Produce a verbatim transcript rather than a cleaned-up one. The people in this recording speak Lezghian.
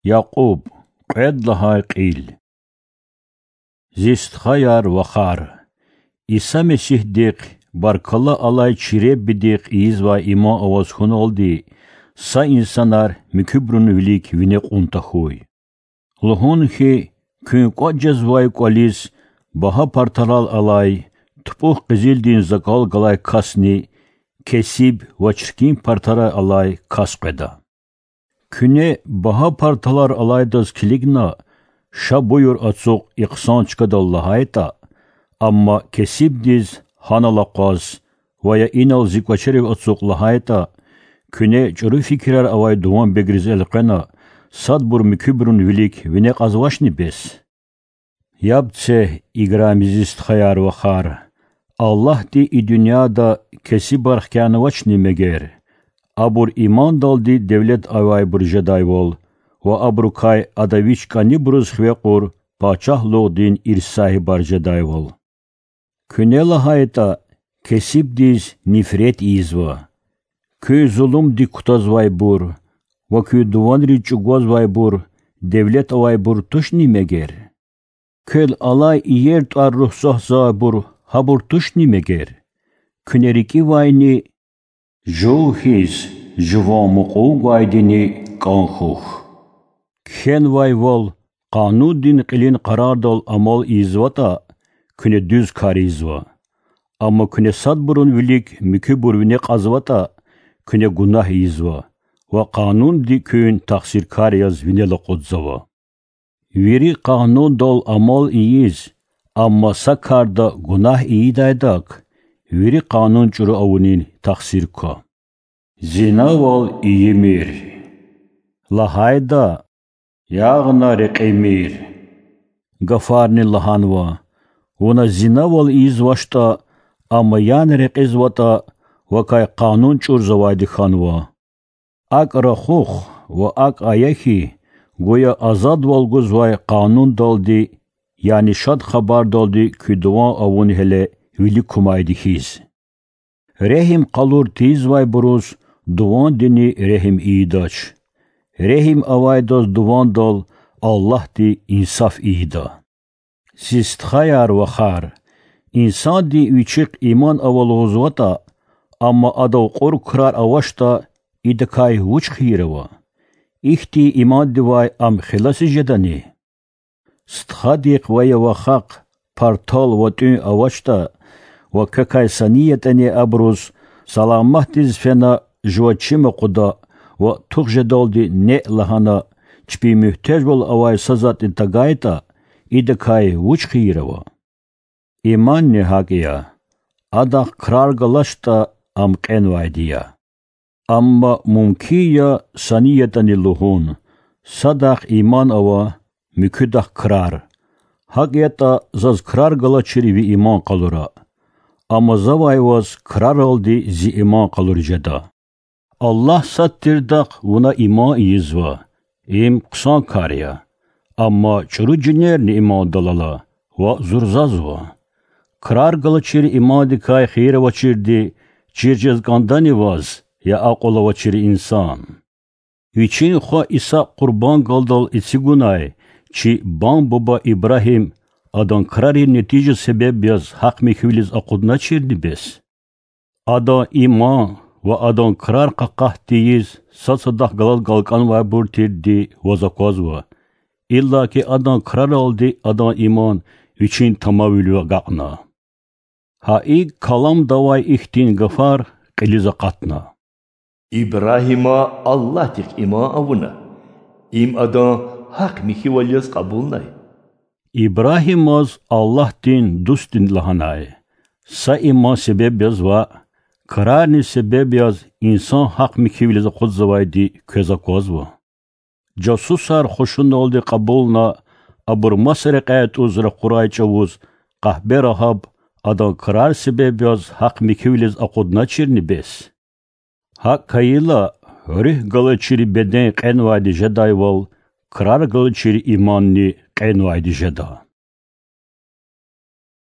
Якьуб, кьвед лагьай кьил. Зи стхаяр-вахар, Иса Месигьдихъ, баркалла алай чи Реббидихъ ийизвай иман аваз хьуналди са инсанар муькуьбурун вилик вине кьун тахьуй. Лугьун хьи, куьн кӀватӀ жезвай кӀвализ багьа партарал алай, тупӀукь къизилдин закӀал галай касни кесиб ва чиркин партарай алай кас къведа. Куьне багьа парталар алайдаз килигна, ша буюр ацукь и хъсан чкадал лагьайтӀа, амма кесибдиз гьанал акъваз ва я инал зи кӀвачерив ацукь лагьайтӀа, куьне чӀуру фикирар авай дуванбегриз элкъвена, садбур муькуьбурун вилик вине кьазвачни бес? Яб це, играми зи стхаяр-вахар, Аллагьди и дуьньяда кесибар хкянавачни мегер, абур имандалди девлет авайбур жедайвал ва абурукай Ада Вич кӀанибуруз хиве кьур пачагьлугъдин ирс сагьибар жедайвал? Куьне лагьайтӀа, кесибдиз нифрет ийизва. Куьн зулумдик кутазвайбур ва куь дуванриз чӀугвазвайбур девлет авайбур тушни мегер? Квел алай иер тӀвар-руьгь сагьзавайбур гьабур тушни мегер? Куьне рикӀивайни жув хьиз жуван мукьув гвайдини кӀан хьухь. Кхьенвайвал, къанундин кьилин къарардал амал ийизватӀа, куьне дуьз кар ийизва. Амма куьне садбурун вилик муькуьбур вине кьазватӀа, куьне гунагь ийизва ва къанунди куьн тахсиркар яз винел акъудзава. Вири къанундал амал ийиз, амма са карда гунагь ийидайдак, вири къанун чӀуру авунин тахсир ква. Зинавал ийимир лагьайда, ягъна рекьимир гафарни лагьанва. Вуна зинавал ийизвачтӀа, амма ягъна рекьизватӀа, вакай къанун чӀурзавайди хьанва. АкӀ рахух ва акӀ ая хьи, гуя азадвал гузвай къанундалди, яни Шад Хабардалди куь дуван авун гьеле вилик кумайди хьиз. Регьим къалур тийизвайбуруз дувандини регьим ийидач. Регьим авайдаз дувандал Аллагьди инсаф ийида. Зи стхаяр-вахар, инсанди вичихъ иман ава лугьузватӀа, амма адав кьур крар авачтӀа, идакай вуч хийир ава? Ихьтин имандивай ам хеласи жедани? Стхадихъ ва я вахахъ партал ва тӀуьн авачтӀа ва квекай са ни ятӀани абуруз саламатдиз фена жува чим акъуда ва тух жедалди неъ лагьана, чпин муьгьтежвал авай са затӀни тагайтӀа, идакай вуч хийир ава? Иманни гьакӀ я: адахъ крар галачтӀа, ам кьенвайди я. Амма мумкин я са ни ятӀани лугьун: садахъ иман ава, муькуьдахъ крар. ГьакӀ ятӀа, заз крар галачир ви иман къалура. Амма завай ваз краралди зи иман къалур жеда. Аллагь сад тирдахъ вуна иман ийизва, им хъсан кар я. Амма чӀуру жинерни имандал ала ва зурзазва. Крар галачир имандикай хийир авачирди чир жез кӀандани ваз, я акьул авачир инсан? Вичин хва Исакь къурбанд галдал эцигунай чи бам-буба Ибрагьим адан крарин нетижа себеб яз гьахъ-михьивилиз акъудначирни бес? Адан иман ва адан крар къакъат тийиз сад-садахъ галаз галкӀанвайбур тирди ваз аквазва, иллаки адан краралди адан иман вичин тамамвилив агакьна. Гьа икӀ Каламда авай ихьтин гафар кьилиз акъатна: Ибрагьима Аллагьдихъ иман авуна, им адан гьахъ-михьивал яз кьабулнай. Ибрагьимаз Аллагьдин дустни лагьанай. Са иман себеб яз ваъ, крарни себеб яз инсан гьахъ-михьивилиз акъудзавайди квез аквазва. Жасусар хушуналди кьабулна, абур маса рекьяй тӀуз ракъурай чӀавуз, къагьбе Рагьаб адан крар себеб яз гьахъ-михьивилиз акъудначирни бес? ГьакӀ хьайила, руьгь галачир беден кьенвайди жедайвал, крар галачир иманни кьенвайди жеда.